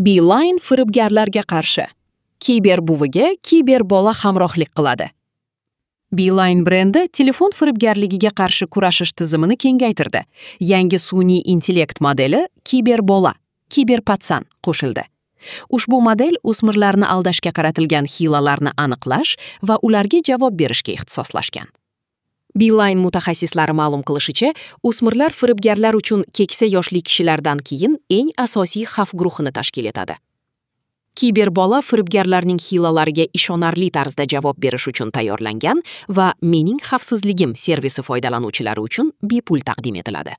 Beeline firibgarlarga qarshi. Kiber buviga kiber bola hamrohlik qiladi. Beeline brendi telefon firibgarligiga qarshi kurashish tizimini kengaytirdi. Yangi sun'iy intellekt modeli Kiber bola, Kiber пацан qo'shildi. Ushbu model o'smirlarni aldashga qaratilgan hiylalarni aniqlash va ularga javob berishga ixtisoslashgan. Beeline mutaxassislari ma'lum qilishicha, o'smirlar firibgarlar uchun keksa yoshli kishilardan keyin eng asosiy xavf guruhini tashkil etadi. Kiberbola firibgarlarning hiylalariga ishonarli tarzda javob berish uchun tayyorlangan va Mening xavfsizligim servisi foydalanuvchilari uchun bepul taqdim etiladi.